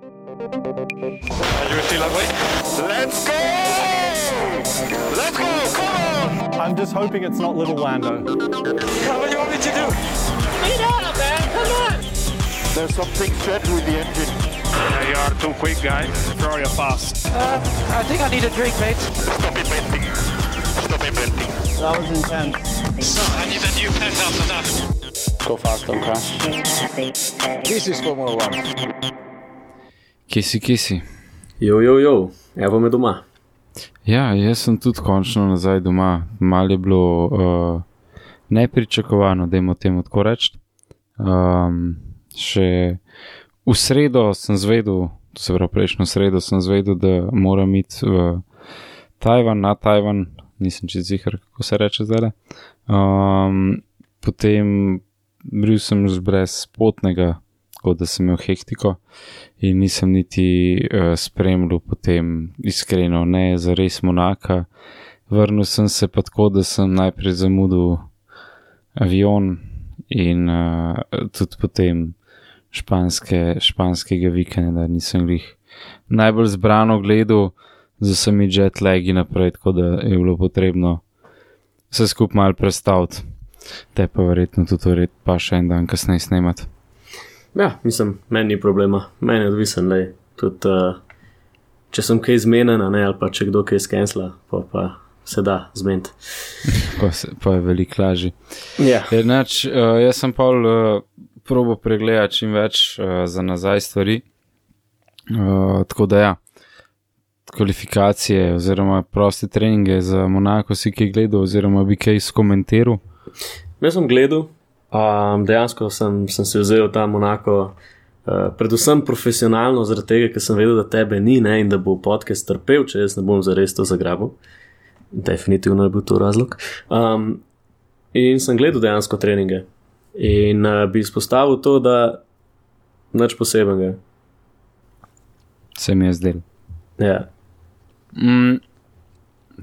You still awake? Let's go! Let's go! Come on! I'm just hoping it's not little Lando. What do you want me to do? Speed up, man! Come on! There's something strange with the engine. You are too quick, guys. Throw you fast. I think I need a drink, mate. Stop inventing. Stop inventing. That was intense. So, I need a new pet after that. Go fast, don't crash. This is Formula 1. Kje si? Jo, evo me doma. Ja, jaz sem tudi končno nazaj doma. Malo je bilo nepričakovano, dajmo temu tako reči. Še v sredo sem zvedel, to se pravi prejšnjo sredo sem zvedel, da moram iti v Tajvan, na Tajvan, nisem čisto ziher, kako se reče zdaj. Potem bil sem brez potnega, tako da sem imel hektiko in nisem niti spremljal potem iskreno, ne zares Monaka. Vrnil sem se pa tako, da sem najprej zamudil avion in tudi potem španskega vikenda nisem glih najbolj zbrano gledal z vsemi jetlagi naprej, tako da je bilo potrebno vse skupaj malo prestaviti. Te pa verjetno tudi pa še en dan kasneje snemati. Ja, mislim, meni ni problema, meni je odvisen, lej. Tudi, če sem kaj zmenen, ne, ali pa če kdo kaj skensla, pa se da zmeniti. Pa je veliko lažje. Ja. Jaz sem pa probo pregledati čim več za nazaj stvari, tako da ja, kvalifikacije oziroma proste treninge za Monako si kaj gledal oziroma bi kaj skomentiral? Jaz sem gledal, dejansko sem se vzel ta Monako predvsem profesionalno zaradi tega, ker sem vedel, da tebe ni, ne, in da bo podcast trpel, če jaz ne bom zares to zagrabil. Definitivno je bil to razlog. In sem gledal dejansko treninge in bi izpostavil to, da nič posebenega. Se mi je zdel. Ja.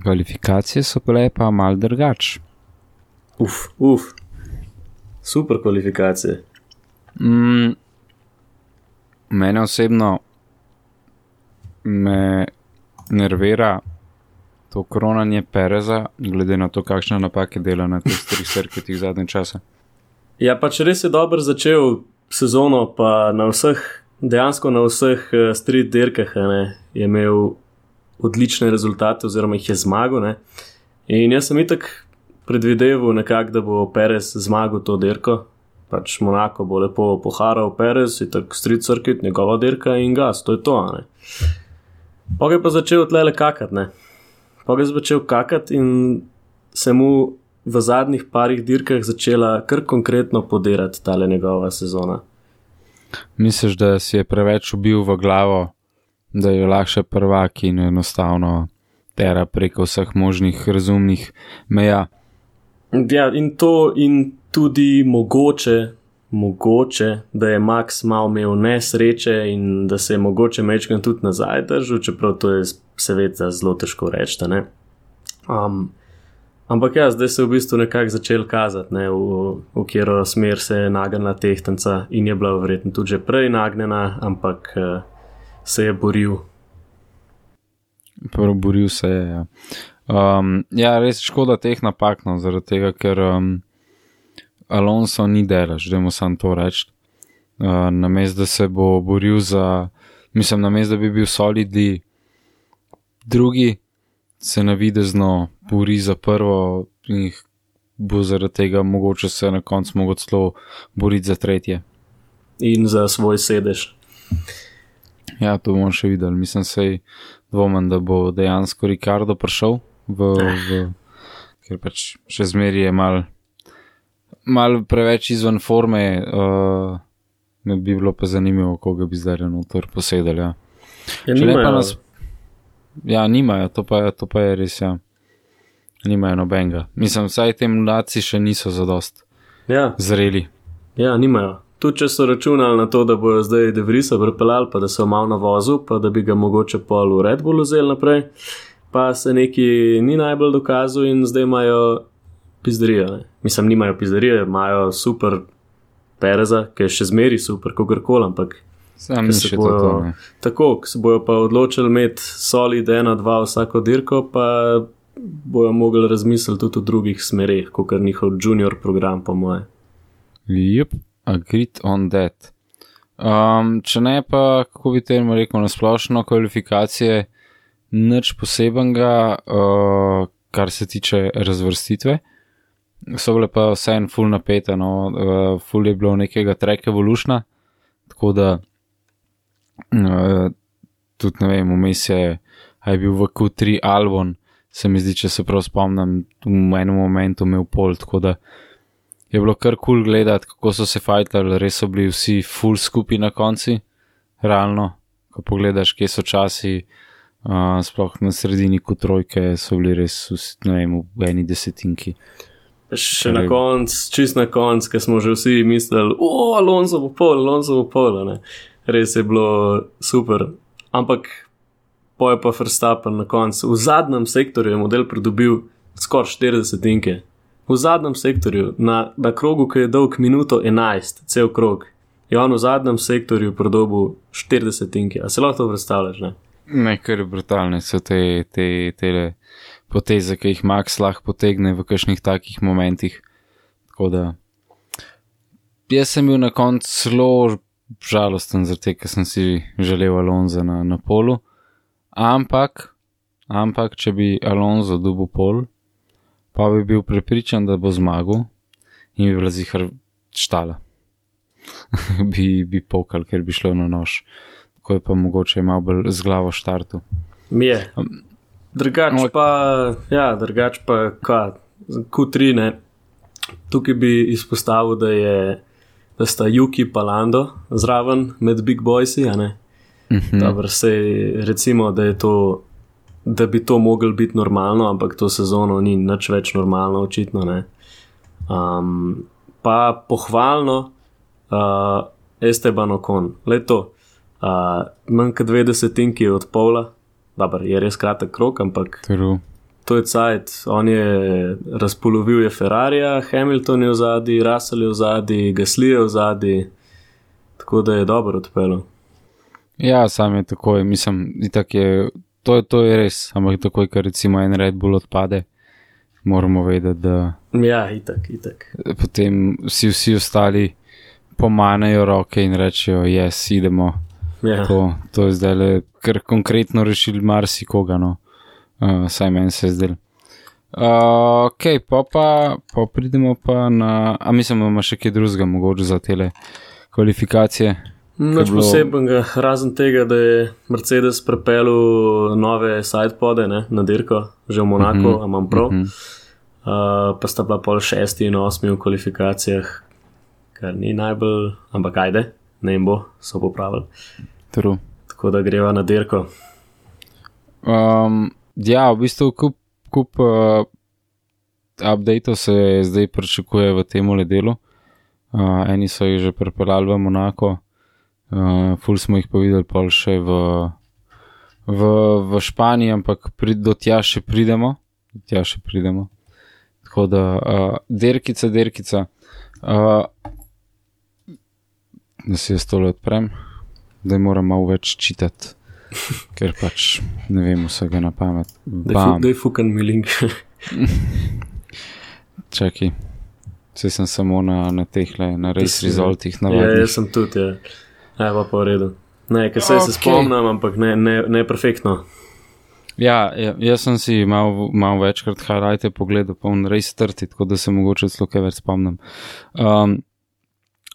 Kvalifikacije so bile pa malo drugač. Super kvalifikacije. Mene osebno me nervira to kronanje Pereza, glede na to, kakšne napake dela na teh treh circuitih zadnje čase. Ja, pač res je dobro začel sezono, pa dejansko na vseh street dirkah je imel odlične rezultate oziroma jih je zmagal. Ne? In jaz sem itak predvideval nekako, da bo Perez zmagal to dirko. Pač Monako bo lepo poharal Perez, itak street circuit, njegova dirka in gas, to je to. Ne? Pa je pa začel tlele kakati, ne. Pa je začel kakati in se mu v zadnjih parih dirkah začela kar konkretno podirati tale njegova sezona. Misliš, da si je preveč ubil v glavo, da je lahko prvak in enostavno tera preko vseh možnih razumnih meja? Ja, in to in tudi mogoče, da je Max malo imel nesreče in da se je mogoče mečkan tudi nazaj držal, čeprav to je seveda zelo težko reči, ne. Ampak ja, zdaj se je v bistvu nekako začel kazati, ne, v katero smer se je nagnila tehtanca in je bila verjetno tudi že prej nagnjena, ampak se je boril. Boril se je, ja. Ja, res škoda teh napak, no, zaradi tega, ker Alonso ni delaš, dajmo samo to reči. Namesto da se bo boril namesto da bi bil solidni drugi, se navidezno bori za prvo in bo zaradi tega mogoče se na koncu mogo celo boriti za tretje. In za svoj sedež. Ja, to bomo še videli. Mislim, sej dvomem, da bo dejansko Ricardo prišel ker pač še zmeri je mal preveč izven forme, ne bi bilo pa zanimivo, koga bi zdaj noter posedali, ja. Ja, nimajo, to pa je res, ja. Nimajo nobenega. Mislim, vsaj te mladci še niso zadost zreli. Ja, nimajo. Tudi če so računali na to, da bojo zdaj De Vriesa pripeljali, pa da so malo na vozu, pa da bi ga mogoče pol v Red Bullu vzeli naprej, pa se neki ni najbolj dokazal in zdaj imajo pizderijo. Ne? Mislim, nimajo pizderijo, imajo super Pereza, ki je še zmeri super, kogarkoli, ampak Sam ni še to, ne. Tako, ko se bojo pa odločili imeti solid 1-2 vsako dirko, pa bojo mogli razmisliti tudi o drugih smereh, kot njihov junior program, po moje. Yep, agreed on that. Če ne pa, kako bi temu rekel, na splošno kvalifikacije, nič posebenega, kar se tiče razvrstitve. So bile pa vseeno ful napete, no, ful je bilo nekega track evolutiona, tako da tudi ne vem, vmes je bil v Q3 Albon, se mi zdi, če se prav spomnim, v enem momentu imel pol, tako da je bilo kar cool gledati, kako so se fajtali, res so bili vsi full skupaj na konci, realno, ko pogledaš, kje so časi, sploh na sredini Q3 so bili res, ne vem, v eni desetinki. Še na konc, čist na konc, ker smo že vsi mislili, Alonso bo pol, ne. Res je bilo super, ampak poje pa Verstappen na koncu. V zadnjem sektorju je model pridobil skoraj 40 tinke. V zadnjem sektorju, na krogu, ki je dolg minuto 11, cel krog, je on v zadnjem sektorju pridobil 40 tinke. A se lahko to predstavljaš, ne? Ne, kar je brutalne so te poteze, ki jih Max lahko potegne v kakšnih takih momentih. Tako da jaz sem bil na koncu zelo žalosten zaradi tega, ker sem si želel Alonza na polu. Ampak, če bi Alonso dobil pol, pa bi bil prepričan, da bo zmagal in bi bila zihar štala. bi pokal, ker bi šlo na nož. Tako je pa mogoče malo bolj z glavo štartu. Mi je. Drugač pa Q3, ne. Tukaj bi izpostavil, da sta Yuki pa Lando zraven med Big Boysi, a ne? Dobro, sej recimo, da bi to moglo biti normalno, ampak to sezono ni nič več normalno, očitno, ne. Pa pohvalno Esteban Ocon, leto, manj kot 20 tinki od pola, dobro, je res kratek krog, ampak to je cajt, on je razpolovil je Ferrarija, Hamilton je vzadi, Russell je vzadi, Gasly je vzadi, tako da je dobro odpeljal. Ja, sam je takoj, mislim, itak je, to je res, ampak takoj, ker recimo en Red Bull odpade, moramo vedeti, da... Ja, itak. Potem vsi ostali pomanejo roke in rečejo, yes, idemo. Ja. To je zdaj kar konkretno rešili marsikoga, no. Saj meni se je zdel. Ok, pa pridemo pa na... A mislim, da ima še kaj drugega mogoče za tele kvalifikacije? Nič posebenega, razen tega, da je Mercedes pripeljal nove sidepode, ne, na dirko, že v Monaku, a imam prav. Pa sta bila pol 6. in 8. v kvalifikacijah, kar ni najbolj, ampak ajde, ne jim bo, so popravili. True. Tako da greva na dirko. Ja, v bistvu kup updateov se zdaj pričakuje v tem delu. Eni so jih že pripeljali v Monako, ful smo jih pa videli pol še v Španiji, ampak do tja še pridemo. Tako da derkica, da si jaz tole odprem, da moram malo več čitati, ker pač ne vem vsega na pamet. Daj fukan mi link. Čakaj, vse sem samo na tehle, na race resultih navadnih. Ja, jaz sem tudi, ja. Pa v redu. Ne, ker se spomnim, ampak ne perfektno. Ja, jaz sem si malo večkrat highlighte pogledal, pa on race 30, tako da se mogoče celo kaj več spomnim.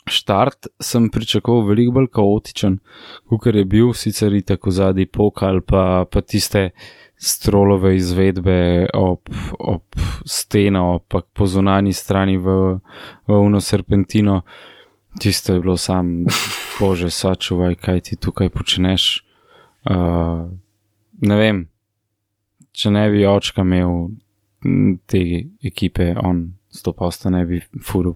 Štart sem pričakoval veliko bolj kaotičen, kakor je bil, sicer itak v zadnji pokal, pa tiste strolove izvedbe ob steno, pa po zunanji strani v uno serpentino. Tisto je bilo sam, bože, sačuvaj, kaj ti tukaj počneš. Ne vem, če ne bi očka imel te ekipe, on 100% ne bi furil,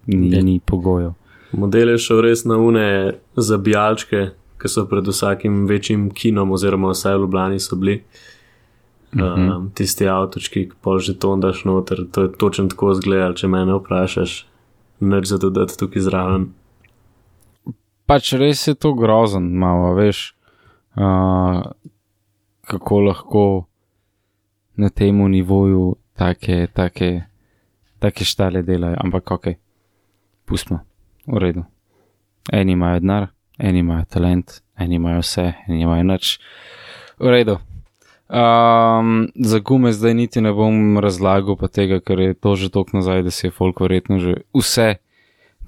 ni pogojev. Model je šel res na une zabijalčke, ki so pred vsakim večjim kinom, oziroma vsaj v Ljubljani so bili. Tisti avtočki, ki pol žeton daš noter, to je točno tako izgledal, če mene vprašaš, nič za dodati tukaj zraven. pač res je to grozen, malo, veš, kako lahko na temu nivoju take štale delajo, ampak ok, pustimo, v redu. Eni imajo denar, eni imajo talent, eni imajo vse, eni imajo nič, v redu. Za gume zdaj niti ne bom razlagal pa tega, ker je to že toliko nazaj, da si je folk verjetno že vse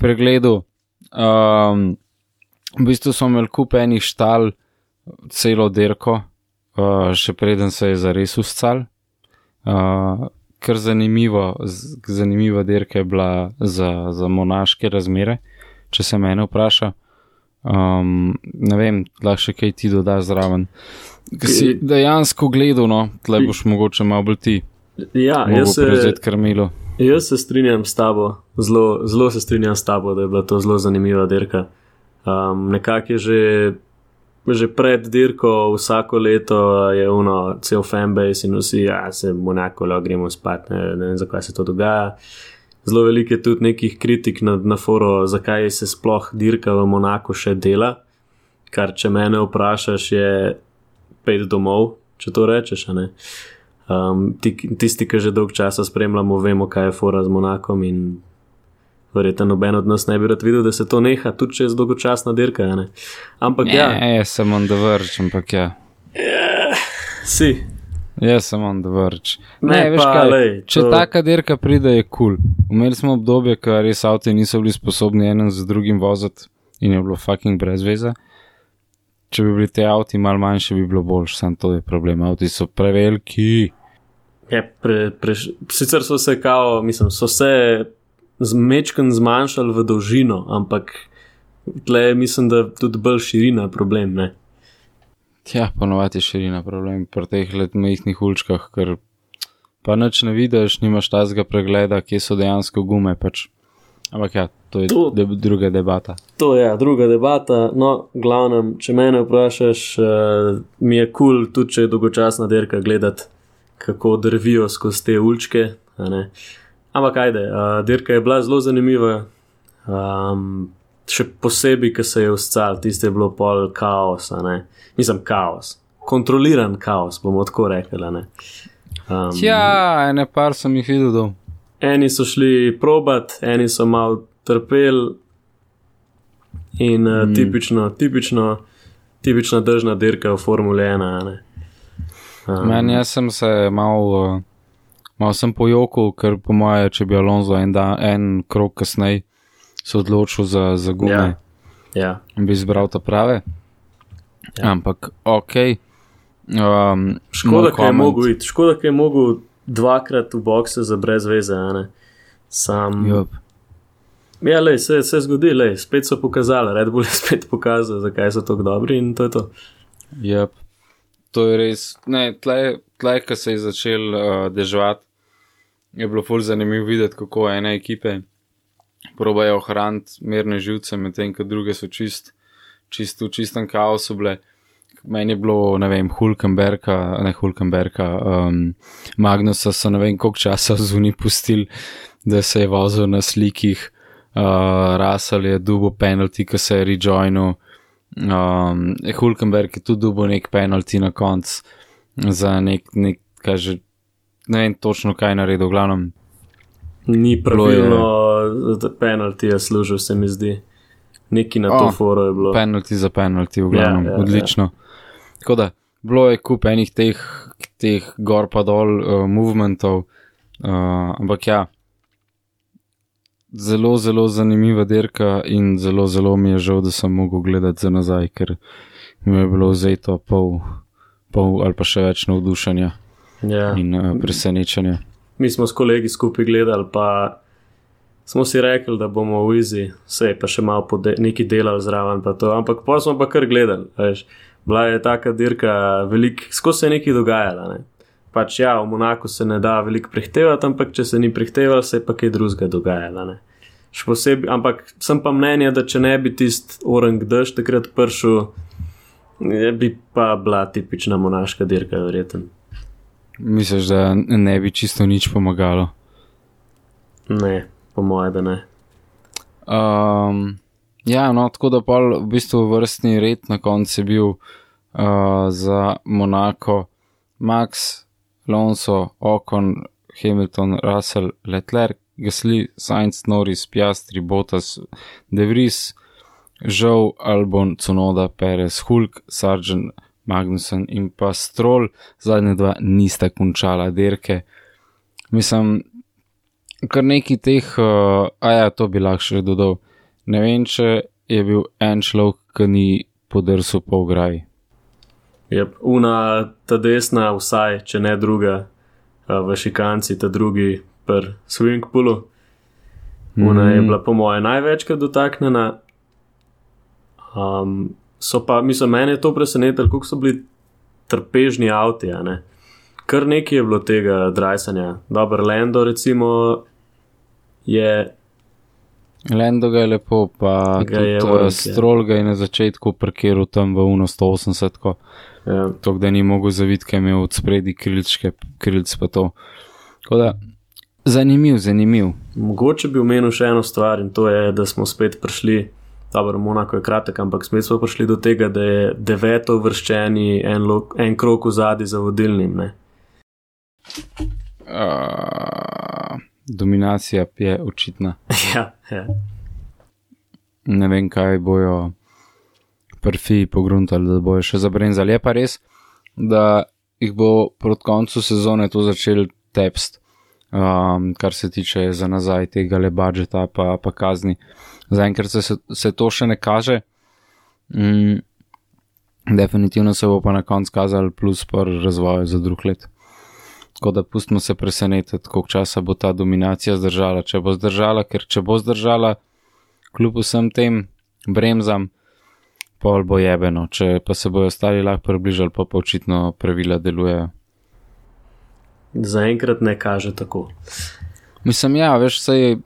pregledal. V bistvu smo imeli kup enih štal celo dirko, še preden se je zares uscal. Kar zanimiva dirka je bila za monaške razmere, če se mene vpraša. Ne vem, lahko še kaj ti doda zraven. Ki si dejansko gledal, no, tle boš mogoče malo bolj ti. Ja, prevzeti krmilo. Jaz se strinjam s tabo, zelo se strinjam s tabo, da je bila to zelo zanimiva dirka. Nekako je že pred dirko vsako leto je cel fanbase in vsi, se Monako gremo spat, ne vem, zakaj se to dogaja. Zelo veliko je tudi nekih kritik na foru, zakaj se sploh dirka v Monaku še dela, kar če mene vprašaš je 5 domov, če to rečeš, ne. Tisti, ki že dolg časa spremljamo, vemo, kaj je fora z Monakom in verjetno noben od nas ne bi rad videl, da se to neha, tudi če je dolgočasna dirka, ne. Ampak sem on the verge, ampak Si. Sem on the verge. Veš kaj, če taka dirka pride, je cool. Imeli smo obdobje, ko res avti niso bili sposobni enen z drugim voziti in je bilo fucking brez veze. Če bi bili te avti malo manjši, bi bilo boljš, sam to je problem, avti so preveliki. Sicer so se so se mečken zmanjšali v dolžino, ampak tle mislim, da tudi bolj širina problem, ne? Ja, ponovati je širina problem pri teh majhnih uličkah, ker pa nič ne vidiš, nimaš tazga pregleda, kje so dejansko gume, pač. Ampak to je druga debata. To je druga debata, no, glavnem, če mene vprašaš, mi je cool, tudi če je dolgočasna dirka, gledati, kako drvijo skozi te uličke, ne. Ampak ajde, dirka je bila zelo zanimiva, še posebej, ko se je uscal, tiste je bilo pol kaos, ne. Mislim, kaos, kontroliran kaos, bomo tako rekli, ne. Ene par sem jih videl dol. Eni so šli probat, eni so malo trpeli in tipična držna dirka v Formule 1, ne. Jaz sem se malo sem pojokal, ker po moje, če bi Alonso en krog kasnej se odločil za gume, bi izbral ta prave. Ampak, okej. Škoda, ki je mogel dvakrat v bokse za brez veze, ne. Se zgodi, spet so pokazali, Red Bull je spet pokazal, zakaj so tako dobri in to je to. To je res, tle, ko se je začel deževati, je bilo ful zanimivo videti, kako ene ekipe probajo ohraniti mirne živce, medtem ko druge so v čistem kaosu bile. Meni je bilo, ne vem, Magnusa so ne vem koliko časa zunaj pustili, da se je vozil na slikih, Russell je dubo penalty, ko se je rejoinil, Hülkenberg je tudi dubo nek penalty na konc za nek kaže, ne vem točno kaj naredil, v glavnem. Ni pravilno penalty je služil, se mi zdi. Neki na to foro je bilo. Penalty za penalty, v glavnem, odlično. Tako da, bilo je kup enih teh gor pa dol movementov, ampak zelo, zelo zanimiva dirka in zelo, zelo mi je žal, da sem mogel gledati za nazaj, ker mi je bilo vzeto pol ali pa še več navdušenja in presenečenja. Mi smo s kolegi skupaj gledali, pa smo si rekli, da bomo v easy, sej pa še malo neki delali zraven pa to, ampak pa smo pa kar gledali, veš. Bila je taka dirka, skozi se je nekaj dogajala, ne. Pač v Monaku se ne da veliko prehtevati, ampak če se ni prehtevalo, se je pa kaj drugega dogajala, ne. Še posebej, ampak sem pa mnenja, da če ne bi tist orang dež takrat pršel, bi pa bila tipična monaška dirka, verjetno. Misliš, da ne bi čisto nič pomagalo? Ne, po moje, da ne. Ja, no, tako da pol v bistvu vrstni red na koncu je bil za Monaco Max, Alonso, Ocon, Hamilton, Russell, Leclerc, Gasly, Sainz, Norris, Piastri, Bottas, De Vries, Zhou, Albon, Tsunoda, Perez, Hulk, Sargent, Magnussen in pa Stroll. Zadnja dva nista končala dirke. Mislim, kar neki teh, to bi lahko še dodal. Ne vem, če je bil en človek, ki ni podrsil po ograji. Yep. Ta desna vsaj, če ne druga, v šikanci, ta drugi per swing poolu. Una je bila po moje največkrat dotaknjena. So pa, mislim, mene je to presenetilo, koliko so bili trpežni avti, a ne. Kar nekaj je bilo tega drajsanja. Dober Lando recimo je... Lando ga je lepo, pa tudi Stroll ga je na začetku parkiral tam v 180, tako da ni mogel zaviti, kaj je imel od spredi krilc pa to. Tako da, zanimiv. Mogoče bi omenil še eno stvar in to je, da smo spet prišli, dobro, Monaco je kratek, ampak spet smo prišli do tega, da je 9. uvrščeni en krog v zadnji za vodilnim, ne? Dominacija je očitna. Ja. Ne vem, kaj bojo prfi pogruntali, da bojo še zabrenzali. Je pa res, da jih bo proti koncu sezone to začel tepst, kar se tiče za nazaj tega le budžeta pa kazni. Zaenkrat se to še ne kaže. Definitivno se bo pa na koncu kazal plus par razvoja za drug let. Tako da pustimo se presenetiti, koliko časa bo ta dominacija zdržala. Če bo zdržala, kljub vsem tem bremzam, pol bo jebeno. Če pa se bojo ostali lahko približali, pa očitno pravila delujejo. Zaenkrat ne kaže tako. Mislim, veš, sej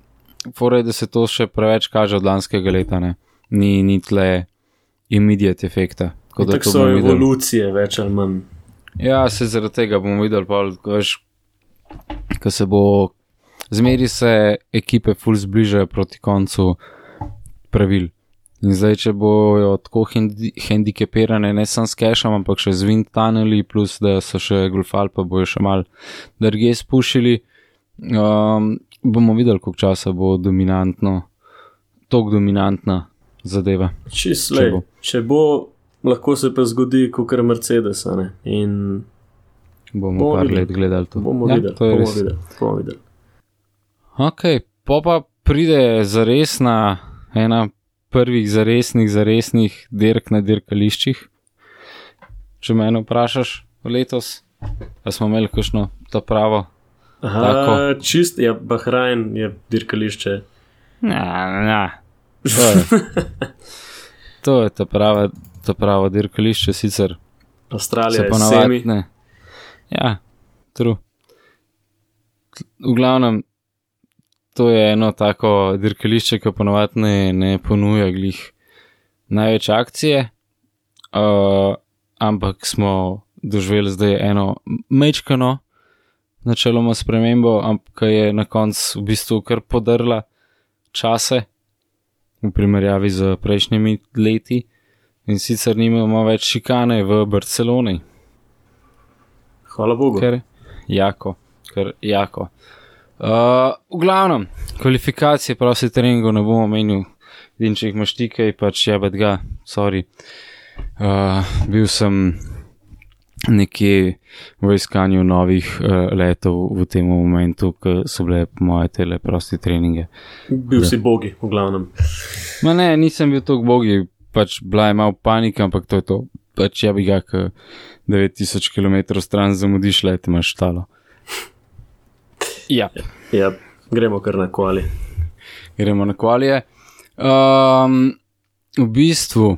forej, da se to še preveč kaže od lanskega leta, ne. Ni tle immediate efekta. Tako so evolucije več ali manj. Ja, se zaradi tega bomo videli, ko se bo zmeri se ekipe ful zbližajo proti koncu pravil. In zdaj, če bojo tako hendikepirane, ne samo s cashom, ampak še z wind tunneli, plus da so še golfali, pa bojo še malo drugje spušili, bomo videli, koliko časa bo dominantna zadeva. Če bo, lahko se pa zgodi kakor Mercedes, ne? In bomo par let gledali to. Bomo videli. Ok, pa pride zaresna, ena prvih zaresnih dirk na dirkališčih. Če mene vprašaš letos, pa smo imeli kakšno to pravo? Čist, Bahrain je dirkališče. To je ta pravo dirkališče, sicer Avstralija je semi. Ja, true. V glavnem, to je eno tako dirkališče, ki ponovadi ne ponuja glih največ akcije, ampak smo doživeli zdaj eno mečkano načeloma spremembo, ampak je na koncu v bistvu kar podrla čase v primerjavi z prejšnjimi leti. In sicer nimamo več šikane v Barceloni. Hvala Bogu. Ker jako. V glavnem, kvalifikacije prosti treningov ne bomo menil. Vidim, če jih imaš ti kaj, pač jebet ga, sorry. Bil sem nekje v iskanju novih letov v tem momentu, ko so bile moje tele prosti treninge. Bil si bogi, v glavnem. Ma ne, nisem bil toliko bogi. Pač bila je malo panika, ampak to je to. Pač bi ga, 9000 km stran zamudiš, le te imaš štalo. Ja, gremo kar na kvali. Gremo na kvalije. V bistvu,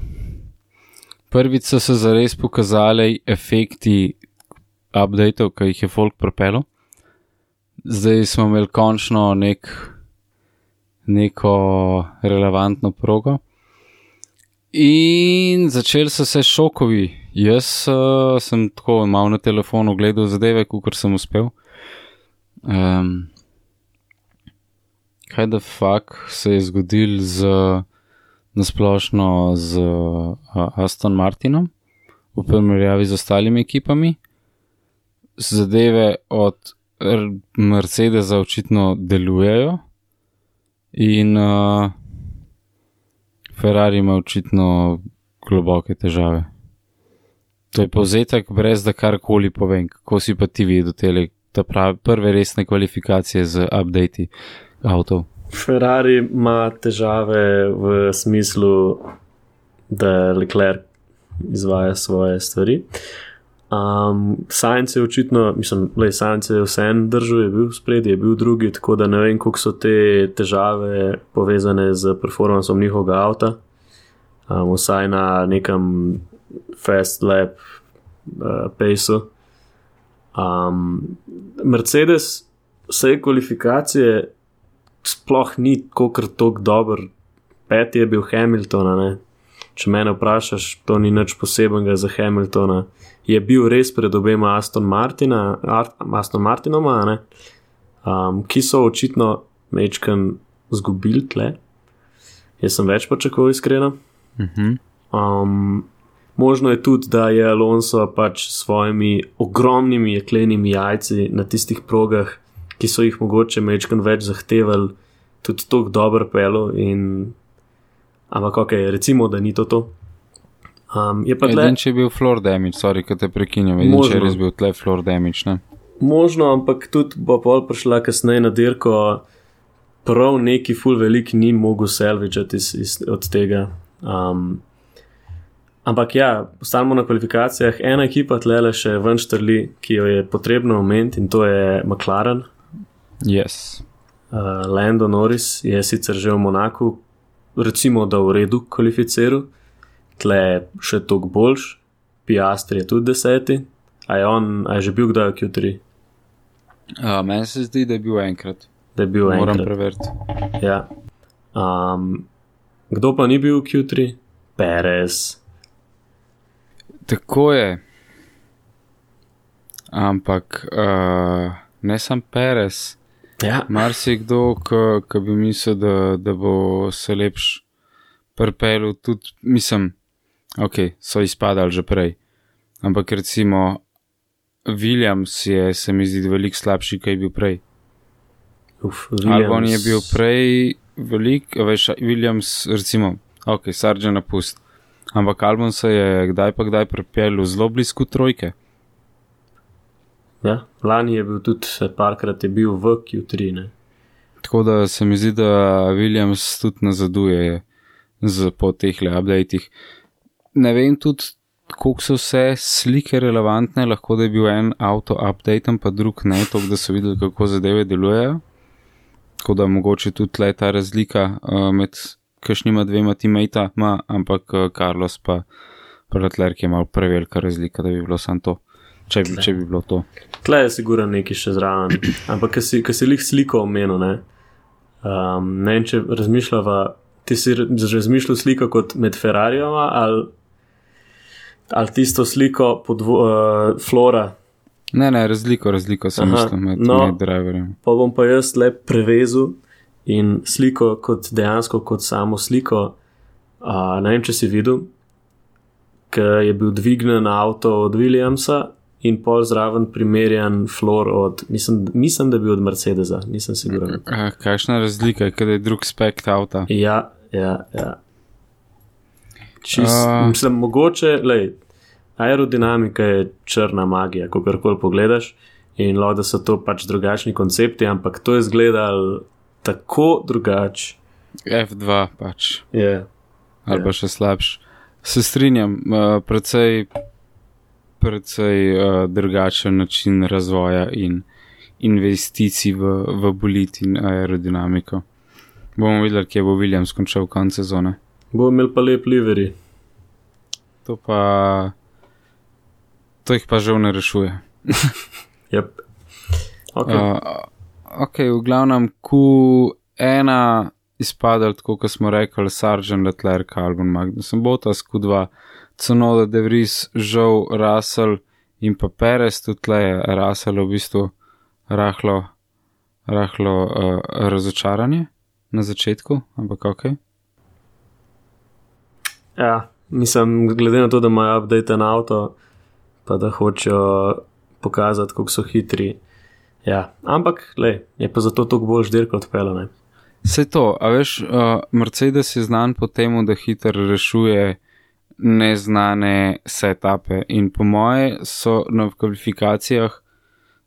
prvič so se zares pokazali efekti updateov, ki jih je folk propelo. Zdaj smo imeli končno neko relevantno progo. In začeli so se šokovi. Jaz sem tako malo na telefonu gledal zadeve, kakor sem uspel. Kaj the fuck se je zgodil z nasplošno z Aston Martinom v primerjavi z ostalimi ekipami. Zadeve od Mercedesa očitno delujejo in Ferrari ima očitno globoke težave. To je povzetek, brez da karkoli povem. Kako si pa ti videl te prve resne kvalifikacije z updati avtov? Ferrari ima težave v smislu, da Leclerc izvaja svoje stvari. Sainz je očitno, Sainz je vseeno držal, je bil spredi, je bil drugi, tako da ne vem, koliko so te težave povezane z performansom njihovega avta. Vsaj na nekem fast lap paceu. Mercedes vse kvalifikacije sploh ni toliko dober. Peti je bil Hamiltona, ne? Če mene vprašaš, to ni nič posebenega za Hamiltona. Je bil res pred obema Aston Martinoma, ne? Ki so očitno mečkan zgubili tle. Jaz sem več pričakoval, iskreno. Možno je tudi, da je Alonso pač s svojimi ogromnimi jeklenimi jajci na tistih progah, ki so jih mogoče mečkan več zahtevali, tudi toliko dobro pelo in ampak okej, recimo, da ni to. Je pa tle... Če je bil floor damage, sorry, kad te prekinjam, če je res bil tle floor damage, ne? Možno, ampak tudi bo pol prišla kasneje na dirko, prav neki ful velik ni mogel salvageati od tega. Ampak ja, postanemo na kvalifikacijah. Ena ekipa tlele še ven štrli, ki jo je potrebno omeniti, in to je McLaren. Yes. Lando Norris je sicer že v Monaku, recimo, da v redu kvalificiral, tle še toliko boljš, Piastri je tudi 10. A je že bil kdaj v Q3? Meni se zdi, da je bil enkrat. Moram preveriti. Ja. Kdo pa ni bil v Q3? Perez. Tako je. Ampak ne sam Perez. Ja. Marsikdo, ki bi mislil, da bo se lepš pripelil, tudi ok, so izpadali že prej. Ampak recimo Williams je, se mi zdi, veliko slabši, kaj je bil prej. Albon je bil prej Williams, recimo, ok, Sargent napust. Ampak Albon se je kdaj pripelil zelo blizu trojke. Ja, lani je bil tudi parkrat je bil v Q3, ne. Tako da se mi zdi, da Williams tudi nazaduje po tehle updatih. Ne vem tudi, koliko so vse slike relevantne, lahko da je bil en auto updaten, pa drug ne, tako da so videli, kako zadeve delujejo. Tako da mogoče tudi tle ta razlika med kakšnima dvema teammatama, ampak Carlos pa Leclerc je malo prevelika razlika, da bi bilo samo to. Če bi bilo to. Tle je sigurno nekaj še zraven. Ampak, ko si lih sliko omenil, ne vem, če razmišljava, ti si razmišljal sliko kot med Ferrarijama ali tisto sliko pod Flora? Ne, razliko sem mislil med driverjem. Pa bom pa jaz le prevezil in sliko kot dejansko kot samo sliko. Ne vem, če si videl, ker je bil dvignen avto od Williamsa in pol zraven primerjan floor od, mislim, da je bil od Mercedesa, nisem siguren. Kakšna razlika, kada je drug spekt avta? Ja. Mislim, mogoče, aerodinamika je črna magija, kakorkoli pogledaš, in lahko da so to pač drugačni koncepti, ampak to je izgledalo tako drugače. F2 pač. Je. Ali pa še slabš. Se strinjam, precej drugačen način razvoja in investicij v bolid in aerodinamiko. Bomo videli, kje bo Williams končal konec sezone. Bo imel pa lep livery. To jih pa žal ne rešuje. Yep. Ok, v glavnem Q1 izpadal, tako kot smo rekli, Sargent, Leclerc, Albon, Magnussen, Bottas, Q2, Tsunoda, De Vries, žal, Russell in pa Perez, tudi tle je Russell v bistvu rahlo razočaranje na začetku, ampak ok. Ja, mislim, glede na to, da imajo update na avto, pa da hočejo pokazati, kako so hitri. Ja, ampak, je pa zato toliko bolj dirka odpela, ne. Vse to, a veš, Mercedes je znan po temu, da hitro rešuje neznane setupe in po moje so na kvalifikacijah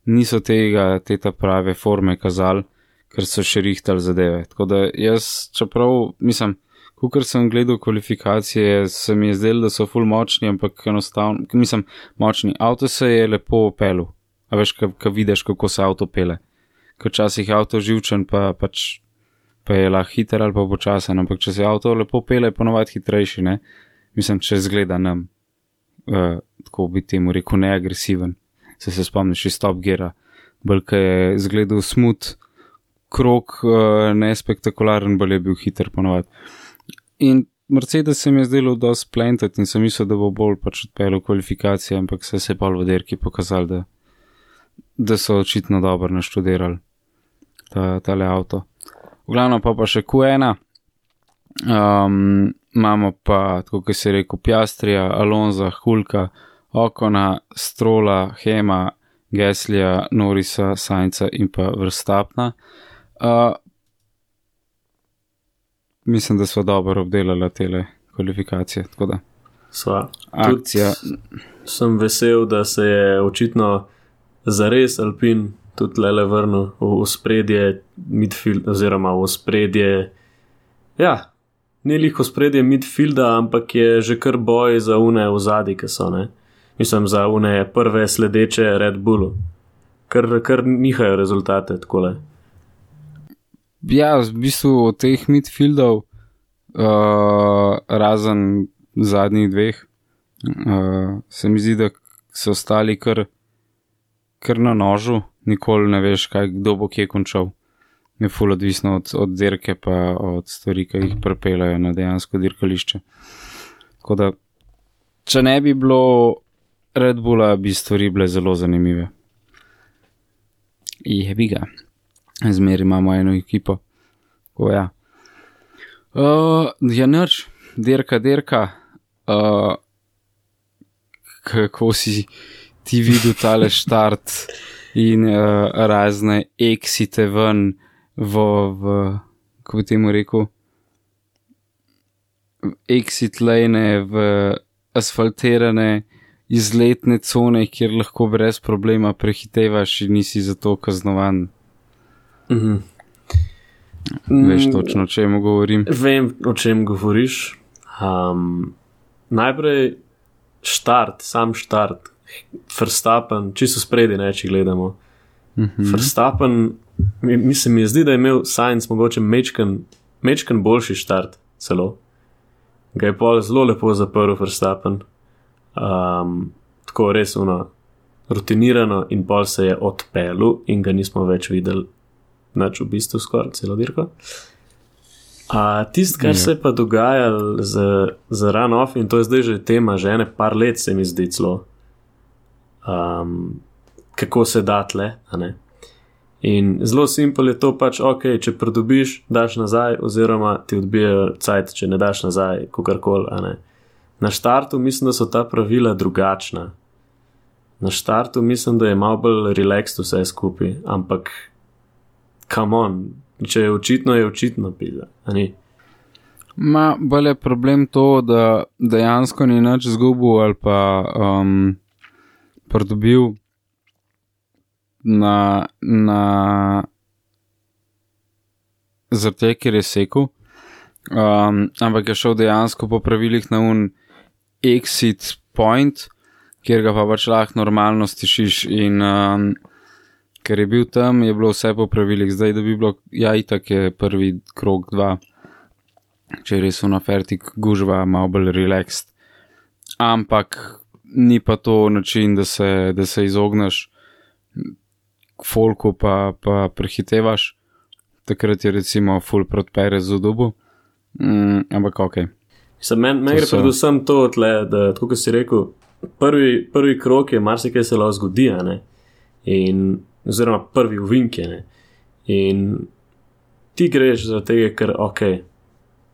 niso te prave forme kazali, ker so še rihtali zadeve. Tako da jaz, čeprav, mislim, kakor sem gledal kvalifikacije, se mi je zdelo, da so ful močni, ampak enostavno, mislim, močni. Avto se je lepo pelil, a veš, ka vidiš, kako se avto pele. Ker včasih je avto živčen, pa je lahko hiter ali pa počasen, ampak če se avto lepo pele, je ponovadi hitrejši, ne? Mislim, če zgleda nam, tako bi temu rekel, neagresiven. Se spomniš iz Top Geara, bolj ka je zgledal smooth, krog, nespektakularen, bolj je bil hiter ponovadi. In Mercedes se mi je zdelo dosti planted in sem mislil, da bo bolj pač odpeljal kvalifikacije, ampak se je pa v derki pokazali, da so očitno dobro naštudirali tale avto. V glavno pa še Q1, imamo pa, tako kot si rekel, Piastrija, Alonza, Hulka, Okona, Strola, Hema, Gaslija, Norrisa, Sainza in pa Verstappna. Mislim, da sva dobro obdelala tele kvalifikacije, tako da. Sva. Akcija. Sem vesel, da se je očitno zares Alpin tudi lele vrnil v spredje midfield, oziroma v spredje, ja, ni lih v spredje midfielda, ampak je že kar boj za une v zadnji, ki so, ne. Mislim, za une prve sledeče Red Bullu. Kar nihajo rezultate, takole. Ja, v bistvu od teh midfieldov, razen zadnjih dveh, se mi zdi, da so ostali kar na nožu, nikoli ne veš, kdo bo kje končal. Je ful odvisno od dirke pa od stvari, ki jih pripeljajo na dejansko dirkališče. Tako da, če ne bi bilo Red Bulla, bi stvari bile zelo zanimive. Jebi ga. Zmeri imamo eno ekipo. O ja. Ja, nič. Dirka. Kako si ti videl tale štart in razne exite ven kako bi temu rekel, exit lane v asfaltirane izletne cone, kjer lahko brez problema prehitevaš in nisi zato kaznovan. Veš točno, o čem govorim? Vem, o čem govoriš. Najprej sam štart. Verstappen, čisto spredi, ne, če gledamo. Verstappen, mislim, mi je zdi, da je imel Sainz mogoče mečken boljši štart celo. Ga je pol zelo lepo zaprl Verstappen. Tako res rutinirano in pol se je odpelil in ga nismo več videli nič v bistvu skoraj celo dirko. Tisto, kar se je pa dogajalo z run-off, in to je zdaj že tema, že ene par let se mi zdi celo, kako se da tle, a ne. In zelo simpel je to pač, ok, če pridobiš, daš nazaj, oziroma ti odbijajo cajt, če ne daš nazaj, kakorkoli, a ne. Na štartu mislim, da so ta pravila drugačna. Na štartu mislim, da je malo bolj relaxed vse skupaj, ampak come on, če je očitno pila, a ni? Bolj je problem to, da dejansko ni nič zgubil ali pa pridobil na zaradi, ker je sekel, ampak je šel dejansko po pravilih na exit point, kjer ga pa pač lahko normalno stišiš in ker je bil tam, je bilo vse po pravilih. Zdaj, da bi bilo, ja, itak je prvi krog 2, če je res fertik gužva, malo bolj relaxed. Ampak ni pa to način, da se izogneš folku pa prehitevaš. Takrat je recimo full proti Perezu dobu. Ampak ok. Meni gre predvsem to tle, da tako kot si rekel, prvi krog je marsikaj se lahko zgodi, ne? Oziroma prvi uvink je, ne? In ti greš zaradi tega, ker ok,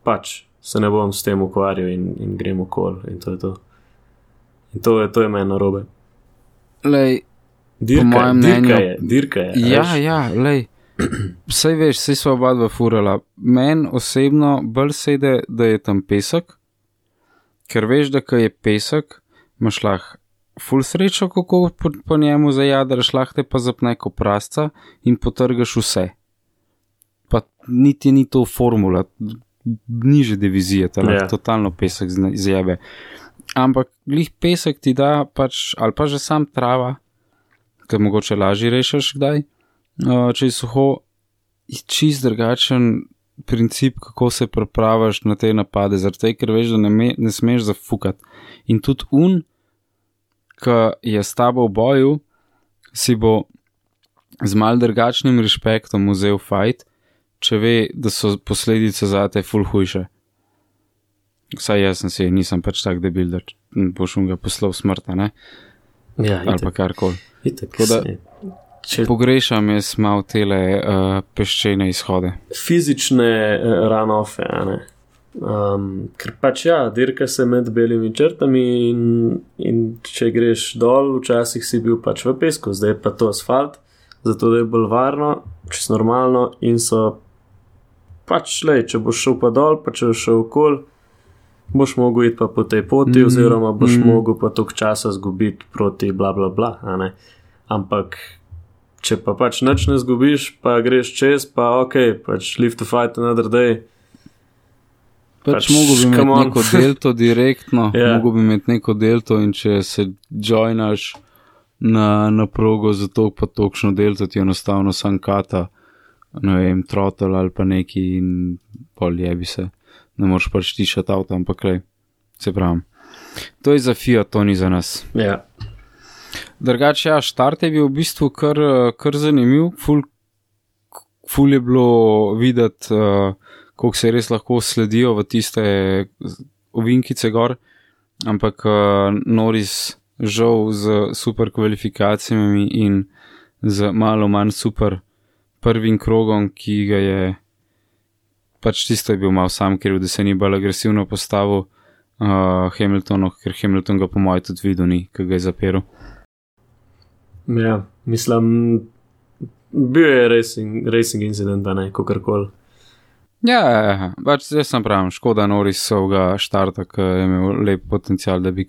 pač se ne bom s tem ukvarjal in grem okol in to je to. In to je meni narobe. Lej, Dirka je. Ja, lej. Saj veš, saj sva oba dva furala. Meni osebno bolj sede, da je tam pesek, ker veš, da ko je pesek, imaš lahko ful srečo, kako po njemu zajadraš, lahko te pa zapne ko prasca in potrgaš vse. Pa niti ni to formula, niže divizije, lahko totalno pesek zjebe. Ampak glih pesek ti da pač, ali pa že sam trava, ker mogoče lažje rešiš kdaj, če je suho, čist drugačen princip, kako se pripravaš na te napade, zaradi ker veš, da ne smeš zafukati. In tudi ki je s tabo v boju, si bo z mal drugačnim respektom vzel fight, če ve, da so posledice zate ful hujše. Vsaj jaz nisem pač tak debil, da boš ga poslal smrta, ne? Ja, ali pa karkoli. Tako da pogrešam jaz malo tele peščene izhode. Fizične run-offe, ne? Ker pač dirka se med belimi črtami in če greš dol, včasih si bil pač v pesku, zdaj pa to asfalt, zato da je bolj varno, čist normalno in so pač, če boš šel pa dol, pa če boš šel okol, boš mogel iti pa po tej poti oziroma boš mogel pa toliko časa zgubiti proti bla bla bla, a ne? Ampak če pa pač nič ne zgubiš, pa greš čez, pa pač live to fight another day. Pač mogo bi imeti neko delto direktno, mogo bi imeti neko delto in če se joinaš na progo za to pa tokšno delto ti enostavno sam kata, ne vem, trottel ali pa neki in pol jebi se. Ne moraš pač tišati avto, ampak se pravim. To je za Fiat, to ni za nas. Ja. Drugače, štart je bil v bistvu kar zanimiv, ful je bilo videti, koliko se res lahko sledijo v tiste ovinkice gor, ampak Norris žal z super kvalifikacijami in z malo manj super prvim krogom, ki ga je pač tisto je bil malo sam kriv, da se ni bolj agresivno postavil Hamiltonu, ker Hamilton ga po mojem tudi videl ni, ko ga je zaperil. Ja, mislim, bil je racing incident, ne, kakorkoli. Ja, pač jaz sem pravim, škoda Norrisovga štarta, ki je imel lep potencial, da bi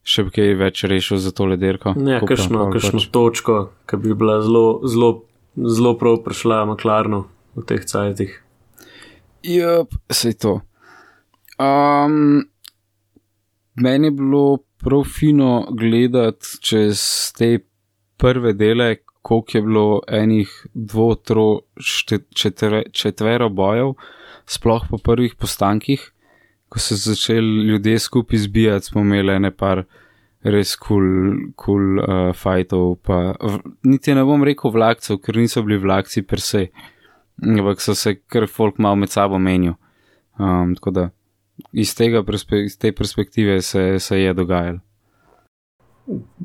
še kaj več rešil za tole dirko. Ja, kakšno točko, ki bi bila zelo prav prišla McLarenu v teh cajtih. Sej to. Meni je bilo prav fino gledati čez te prve dele, koliko je bilo enih četvero bojev, sploh po prvih postankih, ko so začeli ljudje skupaj zbijati, smo imeli ene par res cool fightov, pa niti ne bom rekel vlakcev, ker niso bili vlakci per se, ampak so se kar folk malo med sabo menil. Tako da iz te perspektive se je dogajalo.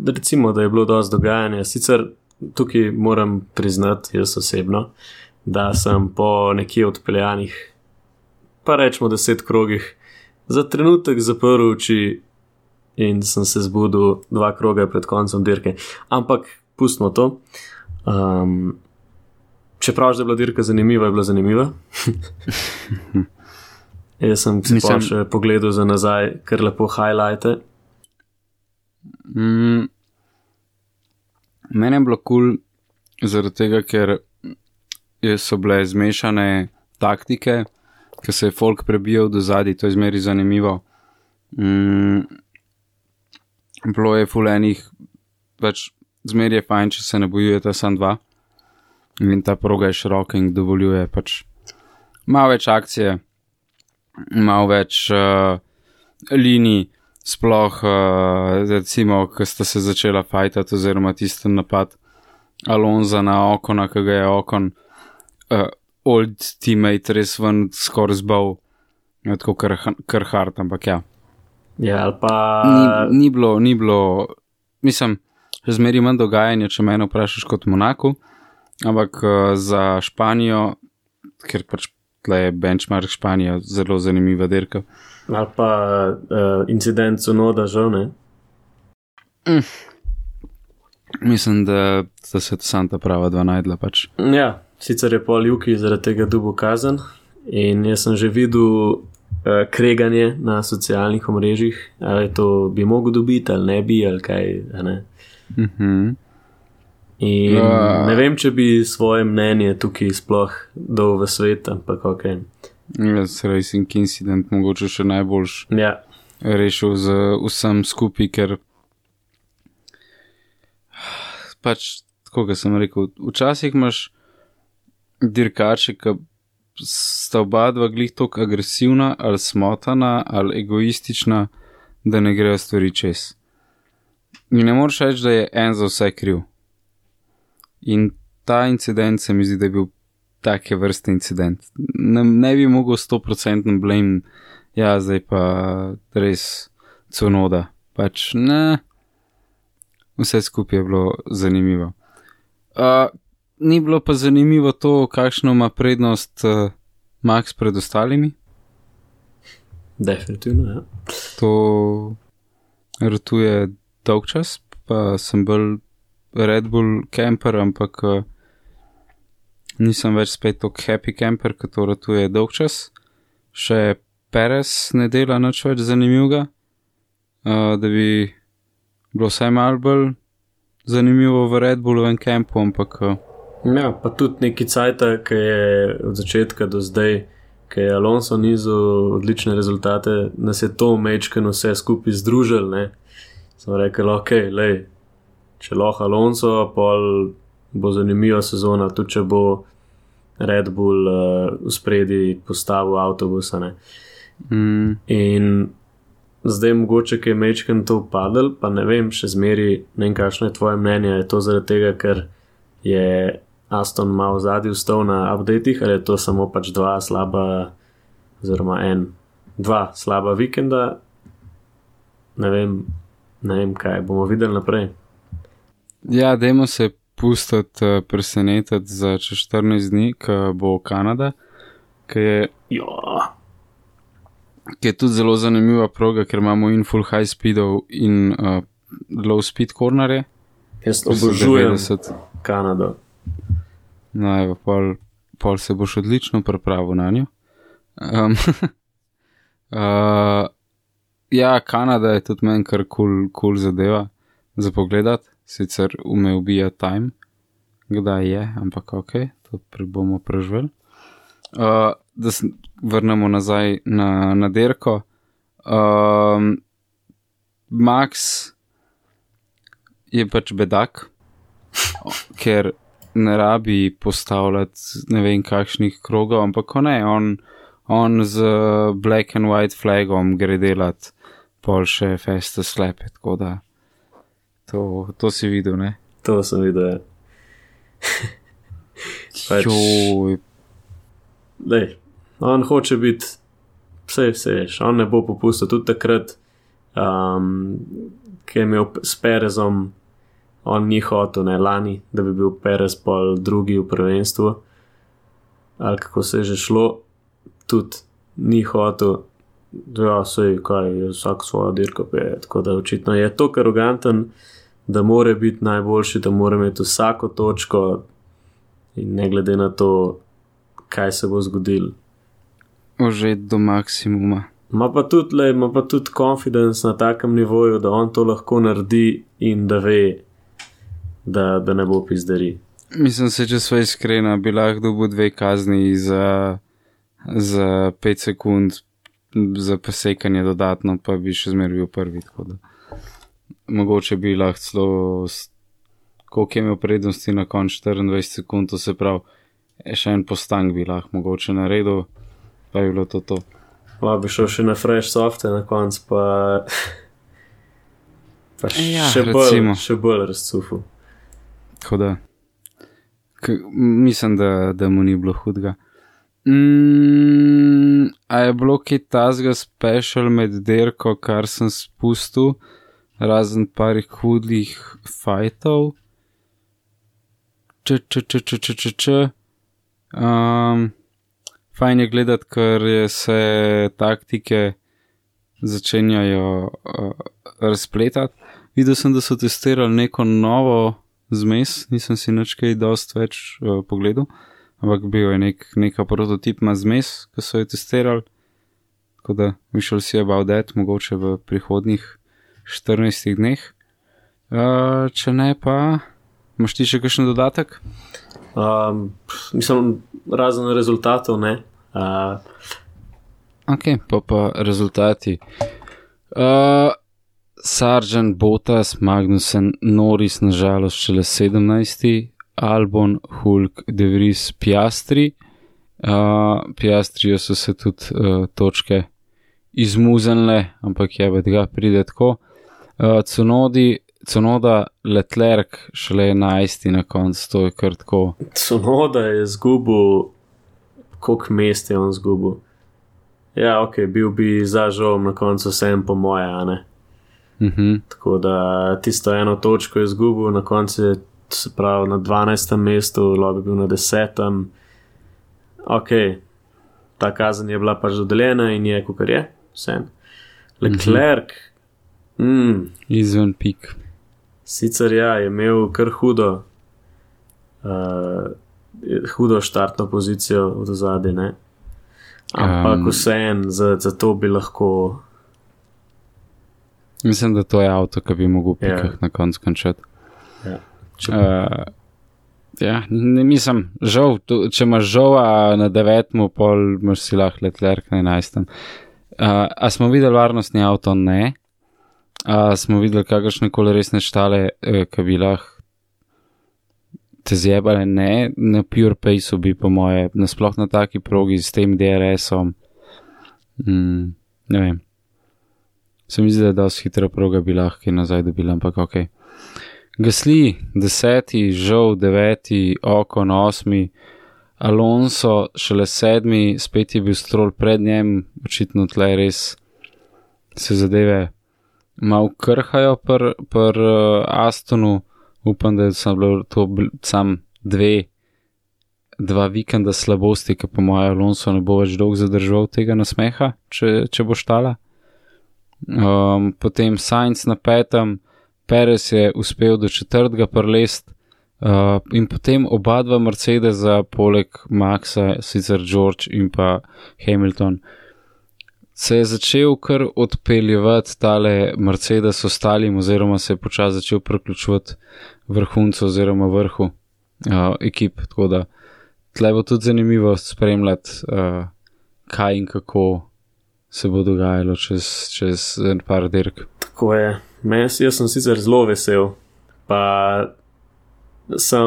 Recimo, da je bilo dosti dogajanja, sicer tukaj moram priznati jaz osebno, da sem po nekje odpeljanih, pa rečemo 10 krogih, za trenutek zaprl oči in sem se zbudil 2 kroga pred koncem dirke. Ampak pustimo to. Čeprav je bila dirka zanimiva, je bila zanimiva. Jaz sem si pa še pogledal za nazaj, kar lepo highlighte. Mene je bilo cool zaradi tega, ker so bile zmešane taktike, ker se je folk prebijal do zadaj, to je zmeri zanimivo. Bilo je ful enih, pač zmeri je fajn, če se ne bojujeta sam dva in ta proga je široka in dovoljuje pač malo več akcije, malo več linij, sploh recimo, ko sta se začela fajtati oziroma tisten napad Alonza na Okona, ki ga je Okon old teammate res ven skoraj zbal, tako kar hard, ampak ja. Ja, ali pa... Ni bilo, mislim, že zmeri manj dogajanja, če mene vprašaš kot Monaku, ampak za Španijo, ker pač tle je benchmark Španija zelo zanimiva dirka. Ali pa incident Tsunoda, žal ne. Mislim, da se to sam ta prava dva najdla pač. Ja, sicer je pol Juki zaradi tega dobil kazen in jaz sem že videl kreganje na socialnih omrežjih, ali to bi mogel dobiti ali ne bi, ali kaj, ne. In ne vem, če bi svoje mnenje tukaj sploh dal v svet, ampak ok. Racing incident mogoče še najboljš rešil z vsem skupaj, ker pač, tako ga sem rekel, včasih imaš dirkače, ki sta oba dva glih toliko agresivna ali smotana ali egoistična, da ne grejo stvari čez. In ne moreš reči, da je en za vse kriv. In ta incident se mi zdi, da je bil take vrste incident. Ne bi mogel 100% blame, ja, zdaj pa res Tsunoda. Pač ne, vse skupaj je bilo zanimivo. Ni bilo pa zanimivo to, kakšno ima prednost Max pred ostalimi. Definitivno, ja. To ratuje dolg čas, pa sem bolj Red Bull camper, ampak nisem več spet tok happy camper, ki to ratuje dolg čas. Še Perez ne dela nič več zanimivega, da bi bilo vsaj malo bolj zanimivo v Red Bullovem campu, ampak ja, pa tudi neki cajta, ki je od začetka do zdaj, ki je Alonso nizal odlične rezultate, nas je to mečkeno vse skupaj združil, ne. Sem rekel, ok, lej, če lahko Alonso, pol bo zanimiva sezona, tudi če bo Red Bull v spredi postavil avtobusa, ne. In zdaj mogoče, ki je mečken to upadel, pa ne vem, še zmeri, ne vem, kakšno je tvoje mnenje, je to zaradi tega, ker je Aston malo zadnji vstal na updatih, ali je to samo pač dva slaba vikenda, ne vem kaj, bomo videli naprej. Ja, dajmo se pustiti presenetiti za čez 14 dni, ko bo Kanada, ki je tudi zelo zanimiva proga, ker imamo in full high speedov in low speed cornerje. Jaz obožujem Kanado. No, evo, pol se boš odlično pripravil na njo. Ja, Kanada je tudi meni kar cool zadeva za pogledat, sicer ume ubija time, kdaj je, ampak ok, to bomo preživeli. Da se vrnemo nazaj na dirko. Max je pač bedak, ker ne rabi postavljati ne vem kakšnih krogov, ampak ne, on z black and white flagom gre delat pol še feste slepe, tako da to si videl, ne? To sem videl, ja. Pač, lej, on hoče biti vse, on ne bo popustil tudi takrat, ki je imel s Perezom, on ni hotel, ne, lani, da bi bil Perez pol drugi v prvenstvu, ali kako se je že šlo, tudi ni hotel, ja, sej, kaj, vsak svojo dirko peje, tako da očitno je toliko aroganten, da more biti najboljši, da more imeti vsako točko in ne glede na to, kaj se bo zgodil. Ožet do maksimuma. Ma pa tudi confidence na takem nivoju, da on to lahko naredi in da ve, da ne bo pizderi. Mislim se, če sva iskrena, bi lahko dobil 2 kazni za 5 sekund za presekanje dodatno, pa bi še zmer bil prvi, tako da mogoče bi lahko celo koliko je imel prednosti na konč 24 sekund, to se pravi še en postank bi lahko mogoče naredil, pa bi bilo to. Pa bi šel še na fresh softe na konc, pa ja, še bolj razcufil. Tako da mislim, da mu ni bilo hudega. A je bilo kaj tazga special med dirko, kar sem spustil, razen parih hudih fajtov? fajn je gledati, ker se taktike začenjajo razpletati. Videl sem, da so testirali neko novo zmes, nisem si nič kaj dost več pogledal, ampak bil je neka prototipna zmes, ki so jo testirali, tako da we shall see about that, mogoče v prihodnjih 14 dneh. Če ne pa, imaš ti še kakšen dodatek? Mislim, razen rezultatov, ne. Ok, pa rezultati. Sargent, Bottas, Magnussen, Norris nažalost šele 17. Albon, Hulk, De Vries, Piastri. Piastriju so se tudi točke izmuzenle, ampak ga pride tako. Tsunoda, Leclerc šele 11. na koncu, to je kar tako. Tsunoda je zgubil, koliko mest je on zgubil. Ja, ok, bil bi za žolom na koncu vsem po moje, a ne? Tako da tisto eno točko je zgubil, na koncu je, se pravi, na 12. mestu, lahko bi bil na 10. Ok, ta kazen je bila pač dodeljena in je, kakor je, vsem. Leclerc, izven pik. Sicer ja, je imel kar hudo štartno pozicijo od ozadje, ne? Ampak vsem, za to bi lahko... Mislim, da to je avto, ki bi mogel v pikah na koncu končati. Ne mislim, žal, če imaš žal na 9. pol, imaš si lahko Leclerc na 11. A smo videli varnostni avto? Ne. A smo videli kakršne koli resne štale, ki bi lahko te zjebale? Ne. Na pure pace bi po moje, nasploh na taki progi s tem DRS-om. Ne vem. Se mi zdi, da je dosti hitra proga bi lahko nazaj dobila, ampak ok. Gasly 10, žal 9, Ocon 8, Alonso šele 7, spet je bil Stroll pred njem, očitno tle res se zadeve malo krhajo per Astonu, upam, da je bilo to sam dva vikenda slabosti, ki po moje Alonso ne bo več dolgo zadržal tega nasmeha, če bo štala. Potem Sainz na 5, Perez je uspel do 4. prelest in potem oba dva Mercedesa poleg Maxa, sicer George in pa Hamilton, se je začel kar odpeljevati tale Mercedes ostalim oziroma se je počasi začel priključevati vrhuncu oziroma vrhu ekip, tako da tle bo tudi zanimivo spremljati kaj in kako se bo dogajalo čez en par dirk. Tako je. Jaz sem sicer zelo vesel, pa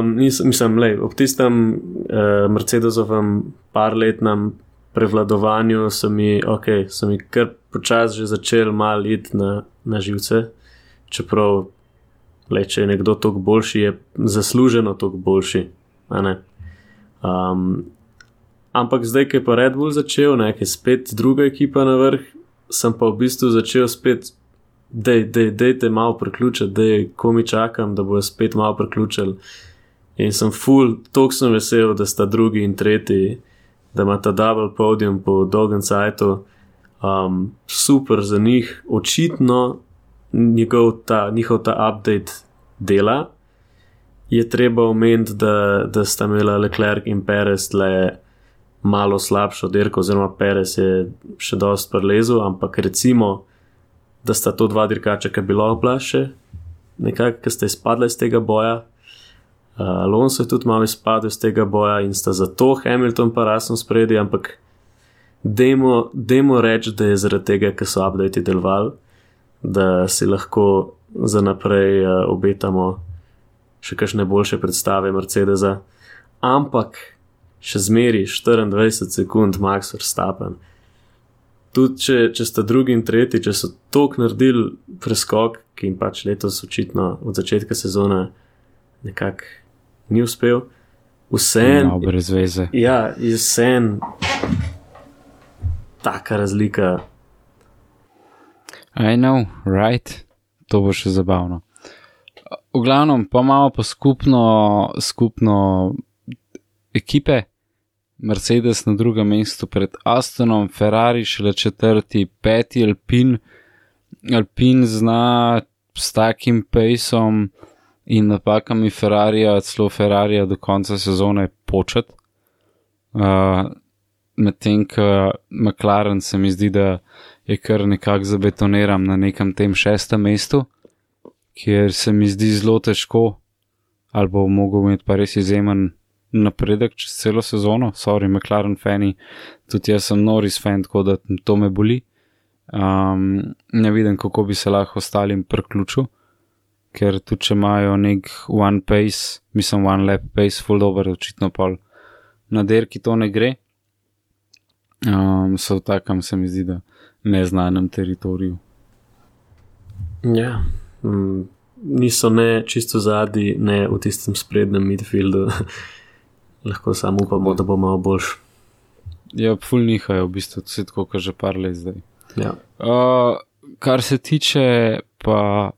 mislim, ob tistem Mercedesovem parletnem prevladovanju so mi kar počasi že začel malo iti na živce, čeprav, če je nekdo toliko boljši, je zasluženo toliko boljši, a ne? Ampak zdaj, ko je pa Red Bull začel, ki je spet druga ekipa na vrh, sem pa v bistvu začel spet, dejte malo priključiti, ko mi čakam, da bojo spet malo priključili. In sem toliko sem vesel, da sta drugi in tretji, da ima ta double podium po dolgem cajtu. Super za njih, očitno njihov ta update dela. Je treba omeniti, da sta imela Leclerc in Perez tle malo slabšo dirko, oziroma Perez je še dosti prelezel, ampak recimo, da sta to dva dirkača, ki bi lahko bila še nekako, ki sta izpadla iz tega boja. Alonso je tudi malo izpadel iz tega boja in sta zato Hamilton pa Russell spredi, ampak dajmo reči, da je zaradi tega, ker so update delovali, da si lahko za naprej obetamo še kakšne boljše predstave Mercedesa, ampak še zmeri 24 sekund Max Verstappen. Tudi če sta drugi in tretji, če so toliko naredili preskok, ki jim pač letos očitno od začetka sezone nekako ni uspel, vseeno brez veze. Ja, vseeno taka razlika. I know, right? To bo še zabavno. V glavnem, pa malo pa skupno ekipe. Mercedes na drugem mestu pred Astonom, Ferrari šele 4., 5. Alpine. Alpine zna s takim pejsom in napakami Ferrarija, celo Ferrarija do konca sezone počet. Medtem, ko McLaren se mi zdi, da je kar nekako zabetoniran na nekem tem 6. mestu, kjer se mi zdi zelo težko, ali bo mogel imeti pa res izjemen napredek čez celo sezono. Sorry, McLaren fani, tudi jaz sem Norris fan, tako da to me boli. Ne vidim, kako bi se lahko ostalim priključil, ker tudi če imajo nek one pace, mislim one lap pace, full dober, očitno pa na derki to ne gre. So v takem, se mi zdi, da neznanem teritoriju. Ja, niso ne čisto zadnji, ne v tistem sprednjem midfieldu. Lahko samo upamo, da bo malo boljš. Ja, ful nihajo v bistvu, tako kot že par let zdaj. Ja. Kar se tiče pa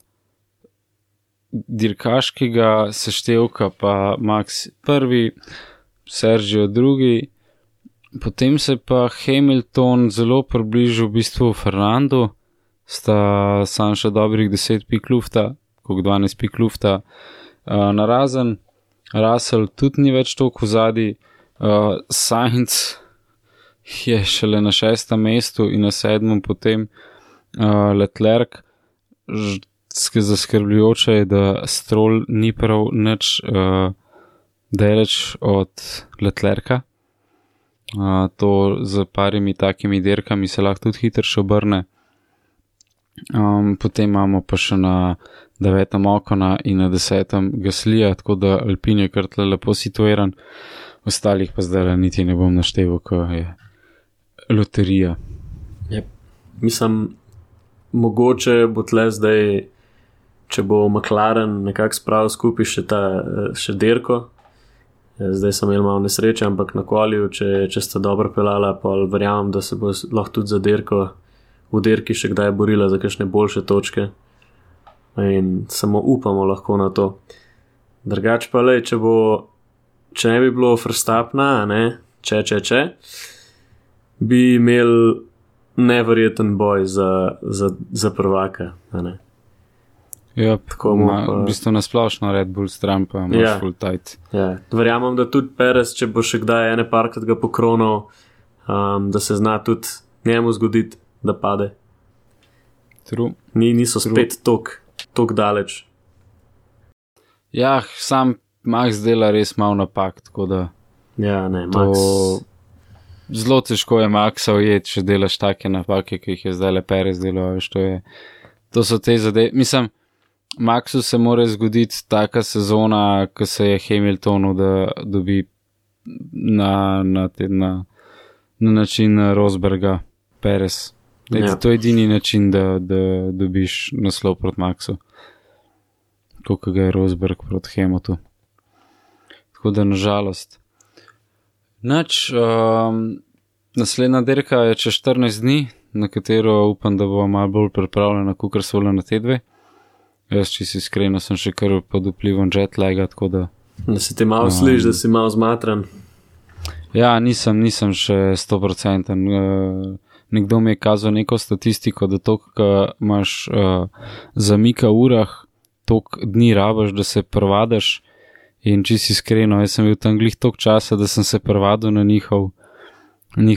dirkaškega seštevka, pa Max prvi, Sergio drugi, potem se pa Hamilton zelo približil v bistvu Fernandu, sta sam še dobrih 10 pik lufta, koliko 12 pik lufta narazen. Russell tudi ni več toliko vzadi, Sainz je šele na 6. mestu in na 7. potem Leclerc. Zaskrbljujoče je, da Stroll ni prav nič daleč od Leclerca. To z parimi takimi dirkami se lahko tudi hitro še obrne. Potem imamo pa še na 9. Ocona in na 10. Gaslija, tako da Alpine je kar tle lepo situiran, ostalih pa zdaj niti ne bom našteval, ko je loterija. Yep. Mislim, mogoče bo tle zdaj, če bo McLaren nekako spravil skupaj še dirko. Zdaj sem imel malo nesreče, ampak na kolju, če sta dobro pelala, pa verjamem, da se bo lahko tudi za dirko v dirki še kdaj borila za kakšne boljše točke. In samo upamo lahko na to. Drugač pa lej, če ne bi bilo Verstappena, če bi imel neverjeten boj za prvaka, Ja, tako v bistvu nasplošno Red Bull stran pa imaš full tight. Ja, verjamem, da tudi Perez, če bo še kdaj ene parkrat ga pokronal, da se zna tudi njemu zgoditi, da pade. True. Niso spet tok daleč. Ja, sam Max dela res malo napak, tako da ja, ne, Max... Zelo težko je Maxa ujeti, če delaš take napake, ki jih je zdaj le Perez delal, to so te zadeve. Mislim, Maxu se mora zgoditi taka sezona, ko se je Hamiltonu, da dobi na način Rosberga Perez. To je edini način, da dobiš naslov proti Maxu. Koliko ga je Rosberg proti Hamiltonu. Tako da nažalost. Naslednja dirka je čez 14 dni, na katero upam, da bo malo bolj pripravljena, kakor so bile na te dve. Jaz, če si iskreno, sem še kar pod vplivom jetlaga, tako da... Da si ti malo sliš, da si malo zmatran. Ja, nisem še 100%. Nekdo mi je kazal neko statistiko, da toliko imaš zamika v urah, toliko dni rabaš, da se prvadaš. In če si iskreno, jaz sem bil tam glih toliko časa, da sem se prvadil na njihov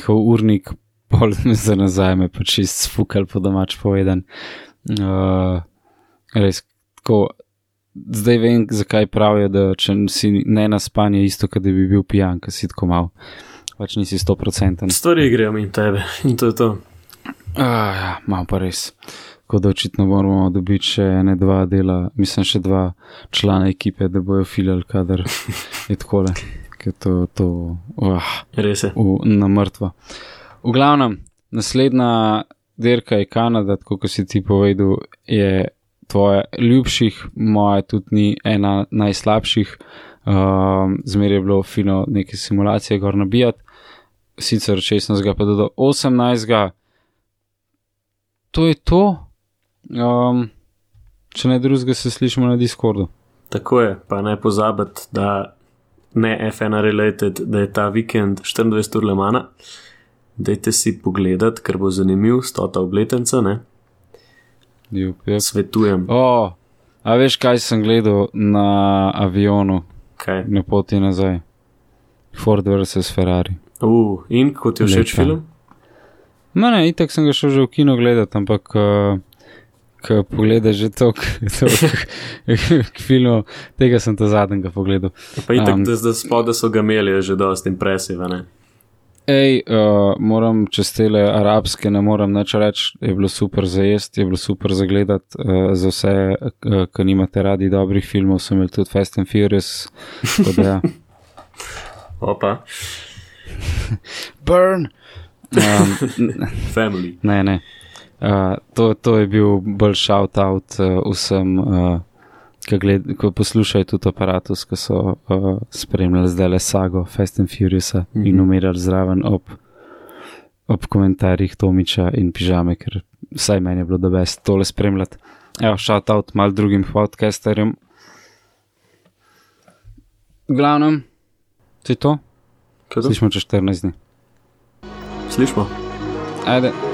urnik, pol za nazaj me pa čist sfukal po domač povedan. Res, tako, zdaj vem, zakaj pravijo, da če si ne naspan je isto, kad bi bil pijan, kad si tako mal, pač nisi 100%. Stvari grejo in tebe, in to je to. Ja, malo pa res. Tako da očitno moramo dobiti še ene dva dela, mislim še 2 člana ekipe, da bojo filali, kadar je takole, ker to res je. Na mrtvo. V glavnem, naslednja dirka je Kanada, tako kot si ti povedal, je tvoja ljubših, moja tudi ni ena najslabših. Zmer je bilo fino neke simulacije gor nabijati, sicer 16. pa do 18. To je to. Če ne drugega se slišimo na Discordu. Tako je, pa ne pozabiti, da ne F1 related, da je ta vikend 24 ur Le Mana. Dajte si pogledat, ker bo zanimiv, 100. obletnica, ne? Jup. Svetujem. A veš, kaj sem gledal na avionu Kaj? na poti nazaj? Ford vs. Ferrari. In kot je všeč Lepa. film? Ne, itak sem ga šel že v kino gledati, ampak ko pogledaš že toliko filmov, tega sem ta zadnjega pogledal. Pa itak, da spode so ga imeli, je že dost impresive, ne? Moram čez tele arabske, ne moram nič reči, je bilo super za jesti, je bilo super za gledati, za vse, ki nimate radi dobrih filmov, sem imel tudi Fast and Furious, tako da ja. Opa. Burn! Family. Ne. To je bil bolj shout-out vsem, ko poslušajo tudi Aparatus, ko so spremljali zdaj le sago Fast and Furiousa in umirali zraven ob komentarjih Tomiča in Pižame, ker vsaj meni je bilo da best tole spremljati. Evo, shout-out mal drugim podcasterjem. V glavnem, to je to. Slišmo čez 14 dni. Slišmo. Ajde.